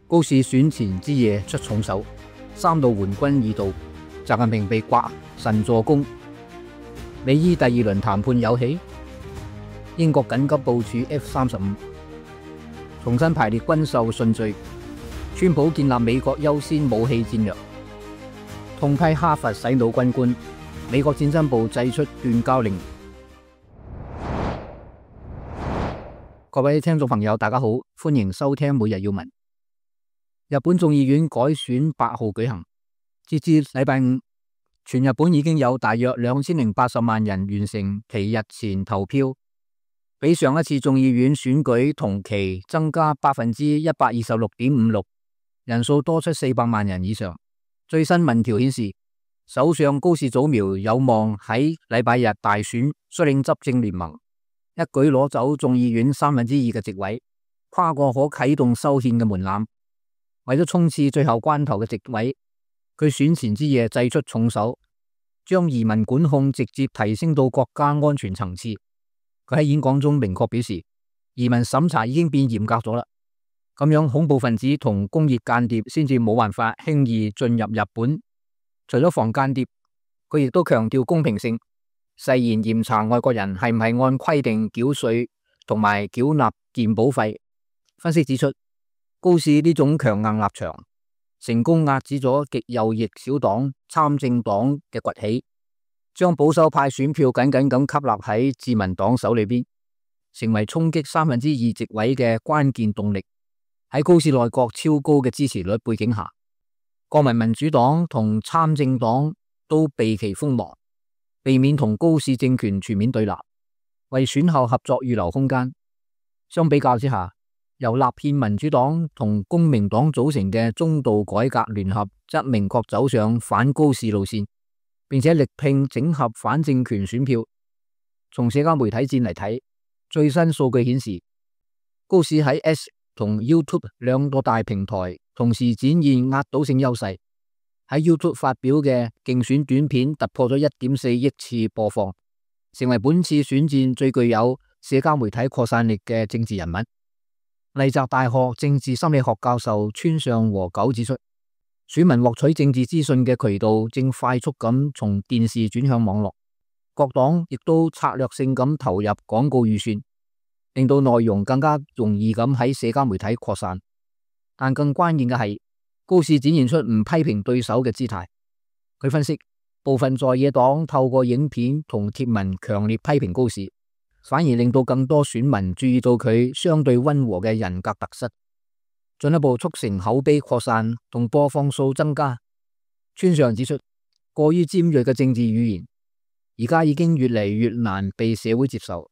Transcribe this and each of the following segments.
高市選前之夜出重手，3度援軍已到，習近平被刮神助攻。美伊第2輪談判有戲，英國緊急部署 F-35，重新排列軍售順序。川普建立美國優先武器戰略，痛批哈佛洗腦軍官。美國戰爭部祭出斷交令。各位聽眾朋友，大家好，歡迎收聽每日要聞。日本眾議院改選8號舉行，截至禮拜五，全日本已經有大約2080萬人完成其日前投票，比上一次眾議院選舉同期增加126.56%，人數多出400萬人以上。最新民調顯示，首相高市早苗有望喺禮拜日大選率領執政聯盟，一舉攞走眾議院2/3嘅席位，跨過可啟動修憲嘅門檻。為咗衝刺最後關頭嘅席位，佢選前之夜祭出重手，將移民管控直接提升到國家安全層次。佢喺演講中明確表示，移民審查已經變嚴格咗啦，咁樣恐怖分子同工業間諜先至冇辦法輕易進入日本。除咗防間諜，佢亦都強調公平性，誓言嚴查外國人係唔係按規定繳稅同埋繳納健保費。分析指出，高市呢種強硬立場，成功壓止咗極右翼小黨參政黨嘅崛起，將保守派選票緊緊咁吸納喺自民黨手裏邊，成為衝擊2/3席位嘅關鍵動力。喺高市內閣超高嘅支持率背景下，國民民主黨同參政黨都避其鋒芒，避免同高市政權全面對立，為選後合作預留空間。相比較之下，由立憲民主黨同公明黨組成嘅中道改革聯合則明確走上反高市路線，並且力拼整合反政權選票。從社交媒體戰嚟睇，最新數據顯示，高市喺 X 同 YouTube 兩個大平台同時展現壓倒性優勢。喺 YouTube 發表嘅競選短片突破咗1.4億次播放，成為本次選戰最具有社交媒體擴散力嘅政治人物。麗澤大學政治心理學教授村上和久指出，選民獲取政治資訊嘅渠道正快速咁從電視轉向網絡，各黨亦都策略性咁投入廣告預算，令到內容更加容易咁喺社交媒體擴散。但更關鍵嘅係，高市展現出唔批評對手嘅姿態。佢分析，部分在野黨透過影片同貼文強烈批評高市，反而令到更多選民注意到佢相對溫和嘅人格特質，進一步促成口碑擴散同播放數增加。村上指出，過於尖銳嘅政治語言而家已經越嚟越難被社會接受。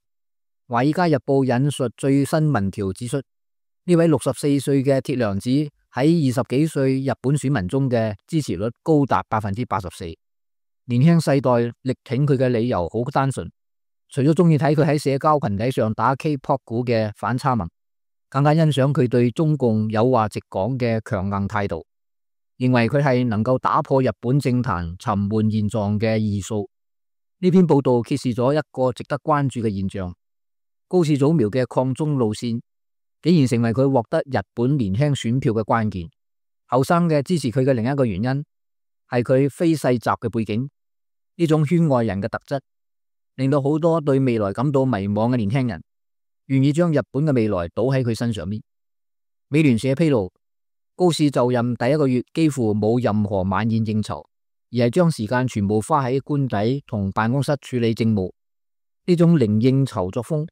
華爾街日報引述最新民調指出，呢位64歲嘅鐵娘子喺20幾歲日本選民中嘅支持率高達84%。年輕世代力挺佢嘅理由好單純，除咗中意睇佢喺社交群體上打 K-pop 鼓嘅反差萌，更加欣賞佢對中共有話直講嘅強硬態度，認為佢係能夠打破日本政壇沉悶現狀嘅異數。呢篇報道揭示咗一個值得關注嘅現象，高市早苗嘅抗中路線竟然成為佢獲得日本年輕選票嘅關鍵。後生嘅支持佢嘅另一個原因係佢非世襲嘅背景，呢種圈外人嘅特質令到好多對未來感到迷茫嘅年輕人願意將日本嘅未來倒喺佢身上面。美聯社披露，高市就任第1個月幾乎冇任何晚宴應酬，而係將時間全部花喺官邸同辦公室處理政務。呢種零應酬作風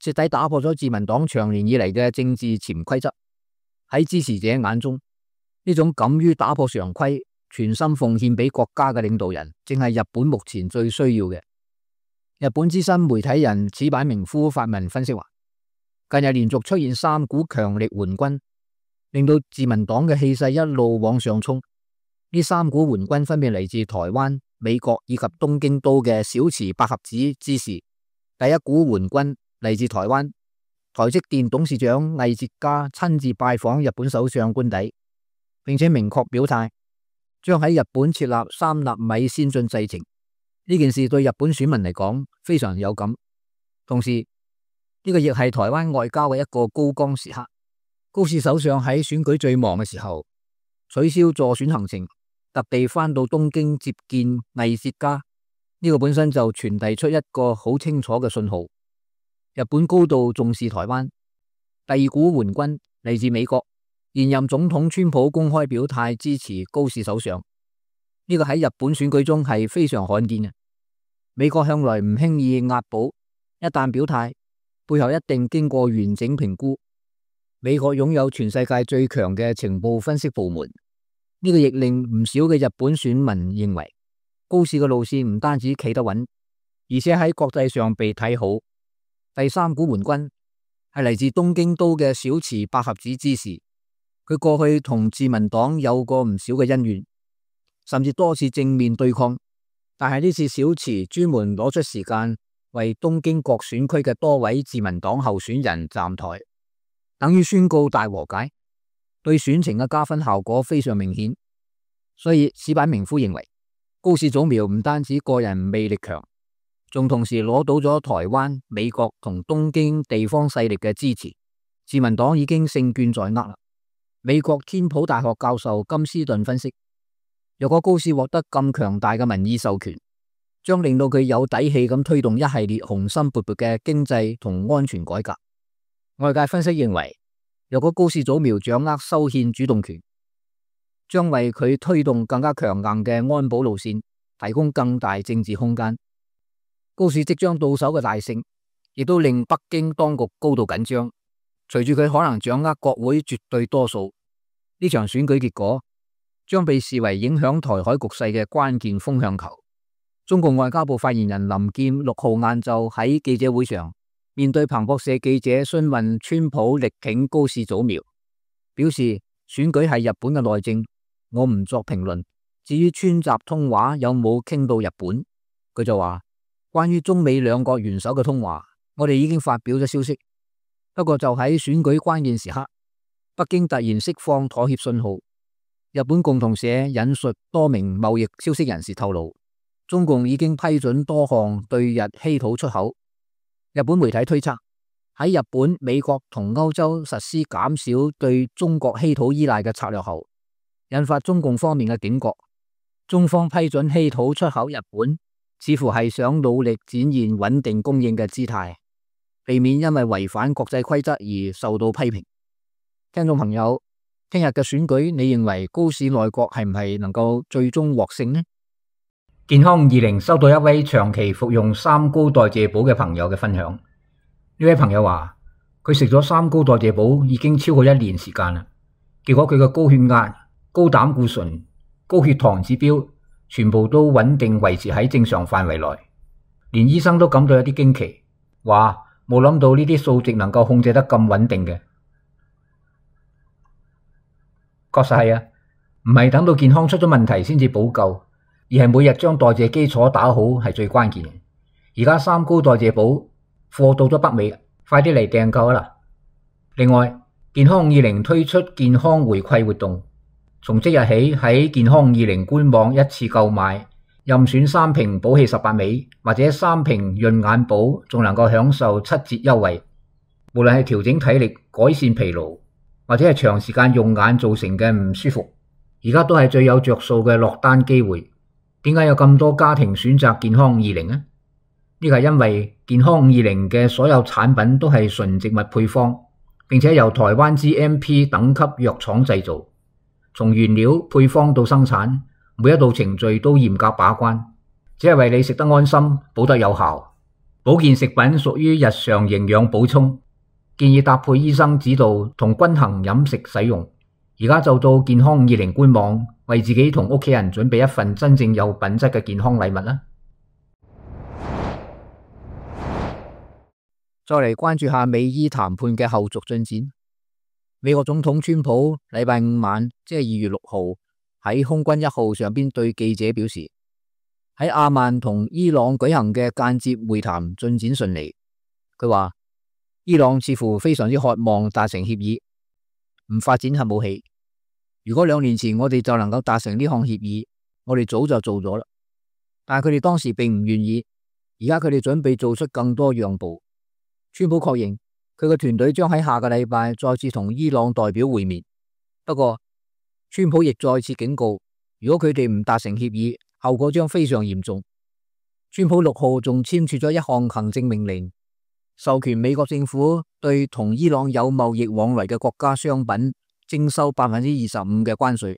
徹底打破咗自民黨長年以嚟嘅政治潛規則。喺支持者眼中，呢種敢於打破常規、全心奉獻俾國家嘅領導人，正係日本目前最需要嘅。日本資深媒體人矢板明夫發文分析話，近日連續出現3股強力援軍，令到自民黨嘅氣勢一路往上衝。呢3股援軍分別嚟自台灣、美國以及東京都嘅小池百合子之士。第一股援軍嚟自台灣，台積電董事長魏哲家親自拜訪日本首相官邸，並且明確表態將喺日本設立3納米先進製程。呢件事對日本選民嚟講非常有感，同時呢個亦係台灣外交嘅一個高光時刻。高市首相喺選舉最忙嘅時候取消助選行程，特地返到東京接見藝術家，呢個本身就傳遞出一個好清楚嘅信號：日本高度重視台灣。第二股援軍嚟自美國，現任總統川普公開表態支持高市首相，呢個喺日本選舉中係非常罕見嘅。美國向來唔輕易押寶，一旦表態，背後一定經過完整評估。美國擁有全世界最強嘅情報分析部門，呢個亦令唔少嘅日本選民認為高市嘅路線唔單止企得穩，而且喺國際上被睇好。第三股援軍係嚟自東京都嘅小池百合子知事，佢過去同自民黨有過唔少嘅恩怨，甚至多次正面對抗。但係呢次小池專門攞出時間為東京各選區嘅多位自民黨候選人站台，等於宣告大和解，對選情嘅加分效果非常明顯。所以矢板明夫認為高市早苗唔單止個人魅力強，仲同時攞到咗台灣、美國同東京地方勢力嘅支持，自民黨已經勝券在握啦。美國天普大學教授金斯頓分析，若果高市獲得咁強大嘅民意授權，將令到佢有底氣咁推動一系列雄心勃勃嘅經濟同安全改革。外界分析認為，若果高市早苗掌握修憲主動權，將為佢推動更加強硬嘅安保路線提供更大政治空間。高市即將到手嘅大勝，亦都令北京當局高度緊張。隨住佢可能掌握國會絕對多數，呢場選舉結果將被視為影響台海局勢嘅關鍵風向球。中共外交部發言人林劍6號晏晝喺記者會上，面對彭博社記者詢問川普力挺高市早苗，表示選舉係日本嘅內政，我唔作評論。至於川習通話有冇傾到日本，佢就話，關於中美兩國元首嘅通話，我哋已經發表咗消息。不過就喺選舉關鍵時刻，北京突然釋放妥協信號。日本共同社引述多名貿易消息人士透露，中共已經批准多項對日稀土出口。日本媒體推測，喺日本、美國同歐洲實施減少對中國稀土依賴嘅策略後，引發中共方面嘅警覺。中方批准稀土出口日本，似乎係想努力展現穩定供應嘅姿態，避免因為違反國際規則而受到批評。聽眾朋友，聽日嘅選舉，你認為高市內閣係唔係能夠最終獲勝呢？健康20收到一位長期服用三高代謝寶嘅朋友嘅分享。呢位朋友話，佢食咗三高代謝寶已經超過1年時間啦，結果佢嘅高血壓、高膽固醇、高血糖指標全部都穩定維持喺正常範圍內，連醫生都感到有啲驚奇，話冇諗到呢啲數值能夠控制得咁穩定嘅。確實係啊，唔係等到健康出咗問題先至補救，而係每日將代謝基礎打好係最關鍵嘅。而家三高代謝寶貨到咗北美，快啲嚟訂購啦！另外，健康20推出健康回饋活動，從即日起喺健康20官網一次購買，任選3瓶補氣18味或者3瓶潤眼寶，仲能夠享受7折優惠。無論係調整體力、改善疲勞，或者係長時間用眼造成嘅唔舒服，而家都係最有着數嘅落單機會。點解有咁多家庭選擇健康20呢？呢個係因為健康20嘅所有產品都係純植物配方，並且由台灣 GMP 等級藥廠製造，從原料配方到生產，每一道程序都嚴格把關，只係為你食得安心，補得有效。保健食品屬於日常營養補充，建議搭配醫生指導同均衡飲食使用。而家就到健康20官網，為自己同屋企人準備一份真正有品質嘅健康禮物啦。再嚟關注下美伊談判嘅後續進展。美國總統川普禮拜5晚，即係2月6號喺空軍1號上邊對記者表示，喺阿曼同伊朗舉行嘅間接會談進展順利。佢話伊朗似乎非常之渴望達成協議，唔發展核武器。如果2年前我哋就能夠達成呢項協議，我哋早就做咗啦。但係佢哋當時並唔願意，而家佢哋準備做出更多讓步。川普確認佢嘅團隊將喺下個禮拜再次同伊朗代表會面。不過，川普亦再次警告，如果佢哋唔達成協議，後果將非常嚴重。川普6號仲簽署咗一項行政命令，授權美國政府對同伊朗有貿易往來嘅國家商品徵收25%嘅關稅。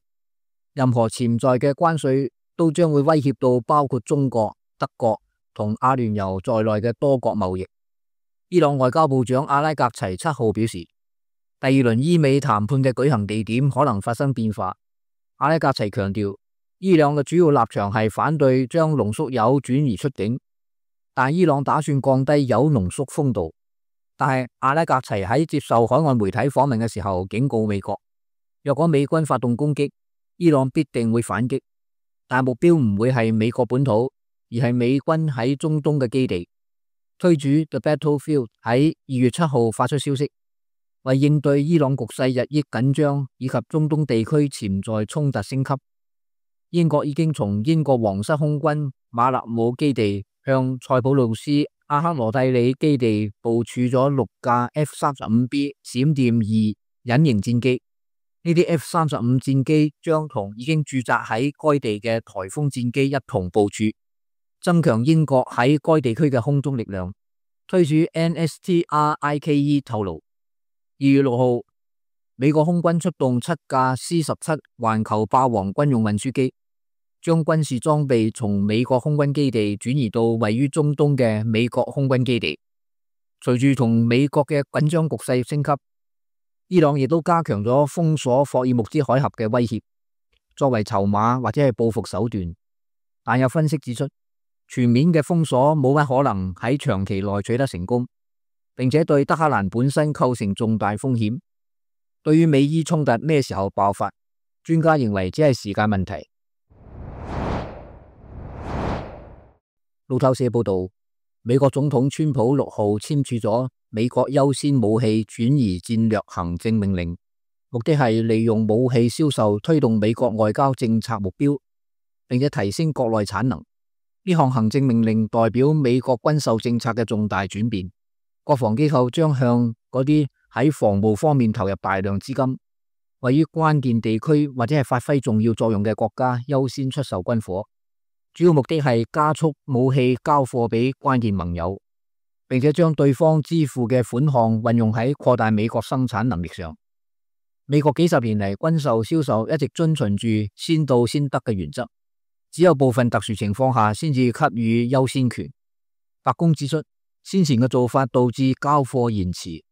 任何潛在嘅關稅都將會威脅到包括中國、德國同阿聯酋在內嘅多國貿易。伊朗外交部長阿拉格齊7號表示，第二輪伊美談判嘅舉行地點可能發生變化。阿拉格齊強調，伊朗嘅主要立場係反對將濃縮鈾轉移出境，但伊朗打算降低鈾濃縮豐度。但係阿拉格齊喺接受海外媒體訪問嘅時候警告美國，若果美軍發動攻擊，伊朗必定會反擊，但目標唔會係美國本土，而係美軍喺中東嘅基地。推主 The Battlefield 喺2月7號發出消息，為應對伊朗局勢日益緊張以及中東地區潛在衝突升級，英國已經從英國皇室空軍馬勒姆基地向塞浦路斯阿克羅蒂里基地部署咗6架 F-35B 閃電2隱形戰機。呢啲 F-35 戰機將同已經駐紮喺該地嘅颱風戰機一同部署，增強英國喺該地區嘅空中力量。推主 NSTRIKE 透露，2月6號，美國空軍出動7架 C-17 環球霸王軍用運輸機，將軍事裝備從美國空軍基地轉移到位於中東嘅美國空軍基地。隨住同美國嘅緊張局勢升級，伊朗亦都加強咗封鎖霍爾木茲海峽嘅威脅，作為籌碼或者係報復手段。但有分析指出，全面嘅封鎖冇乜可能喺長期內取得成功，並且對德黑蘭本身構成重大風險。對於美伊衝突咩時候爆發，專家認為只係時間問題。路透社報道，美國總統川普6號簽署咗美國優先武器轉移戰略行政命令，目的係利用武器銷售推動美國外交政策目標，並且提升國內產能。呢項行政命令代表美國軍售政策嘅重大轉變，國防機構將向嗰啲喺防務方面投入大量資金，位於關鍵地區或者係發揮重要作用嘅國家優先出售軍火，主要目的係加速武器交貨俾關鍵盟友，並且將對方支付嘅款項運用喺擴大美國生產能力上。美國幾十年嚟軍售銷售一直遵循住先到先得嘅原則，只有部分特殊情況下先至給予優先權。白宮指出，先前嘅做法導致交貨延遲、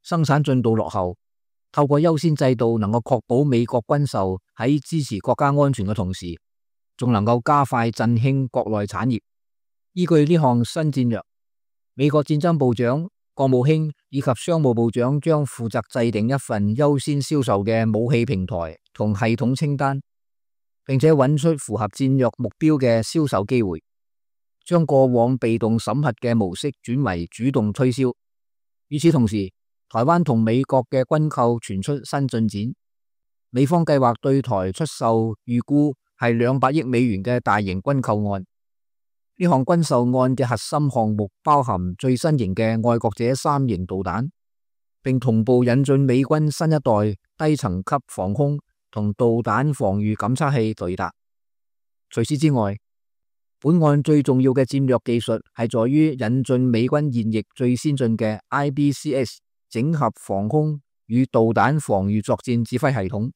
生產進度落後。透過優先制度，能夠確保美國軍售喺支持國家安全嘅同時，仲能夠加快振興國內產業。依據呢項新戰略，美國戰爭部長、國務卿以及商務部長將負責制定一份優先銷售嘅武器平台同系統清單，並且揾出符合戰略目標嘅銷售機會，將過往被動審核嘅模式轉為主動推銷。與此同時，台灣同美國嘅軍購傳出新進展，美方計劃對台出售預估係200億美元嘅大型軍購案。呢項軍售案嘅核心項目包含最新型嘅愛國者3型導彈，並同步引進美軍新一代低層級防空同導彈防禦感測器雷達。除此之外，本案最重要嘅戰略技術係在於引進美軍現役最先進嘅 IBCS 整合防空與導彈防禦作戰指揮系統。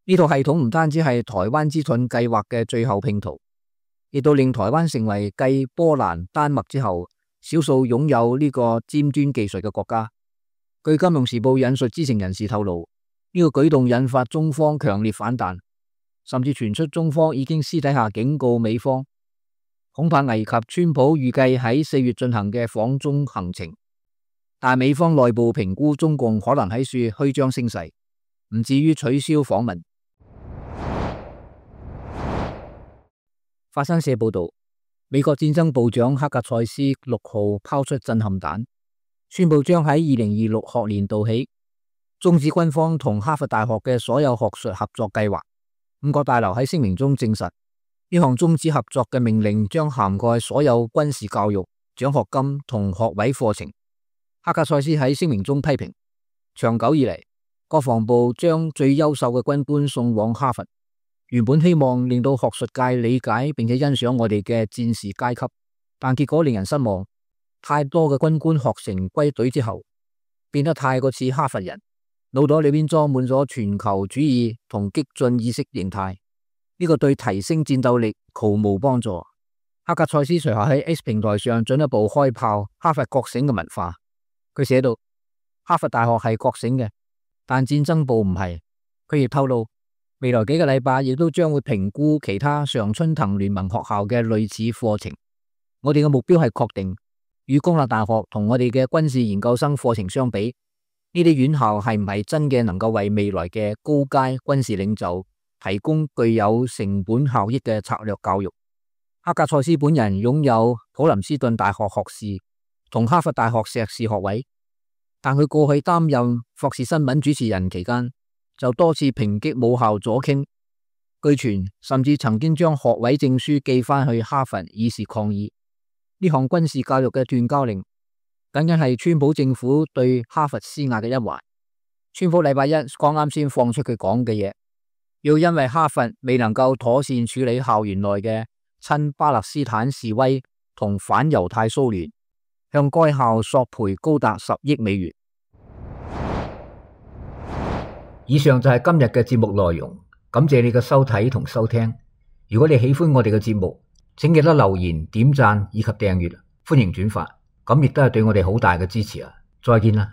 呢套系統唔單止係台灣之盾計劃嘅最後拼圖，亦都令台灣成為繼波蘭、丹麥之後少數擁有呢個尖端技術嘅國家。據金融時報引述知情人士透露，呢個舉動引發中方強烈反彈，甚至傳出中方已經私底下警告美方，恐怕危及川普預計喺4月進行嘅訪中行程。但美方內部評估中共可能喺處虛張聲勢，唔至於取消訪問。法新社報道，美國戰爭部長克格塞斯6號拋出震撼彈，宣布將喺2026學年度起終止軍方同哈佛大學嘅所有學術合作計劃。五角大樓喺聲明中證實，呢項終止合作嘅命令將涵蓋所有軍事教育、獎學金同學位課程。克格塞斯喺聲明中批評，長久以嚟，國防部將最優秀嘅軍官送往哈佛，原本希望令到學術界理解並且欣賞我哋嘅戰士階級，但結果令人失望。太多嘅軍官學成歸隊之後，變得太過似哈佛人，腦袋裏邊裝滿咗全球主義同激進意識形態，呢個對提升戰鬥力毫無幫助。克格塞斯隨後喺 X 平台上進一步開炮哈佛覺醒嘅文化。佢寫到，哈佛大學係覺醒嘅，但戰爭部唔係。佢亦透露，未來幾個禮拜亦都將會評估其他常春藤聯盟學校嘅類似課程。我哋嘅目標係確定，與公立大學同我哋嘅軍事研究生課程相比，呢啲院校係唔係真嘅能夠為未來嘅高階軍事領袖提供具有成本效益嘅策略教育。克格塞斯本人擁有普林斯頓大學學士同哈佛大學碩士學位，但佢過去擔任霍士新聞主持人期間就多次抨擊母校左傾，據傳甚至曾經將學位證書寄翻去哈佛以示抗議。呢項軍事教育嘅斷交令僅僅係川普政府對哈佛施壓嘅一環。川普禮拜一剛啱先放出佢講嘅嘢，要因為哈佛未能夠妥善處理校園內嘅親巴勒斯坦示威同反猶太騷亂，向該校索賠高達10億美元。以上就係今日嘅節目內容，感謝你嘅收睇同收聽。如果你喜歡我哋嘅節目，請記得留言、點讚以及訂閱，歡迎轉發，咁亦都係對我哋好大嘅支持啊！再見啦！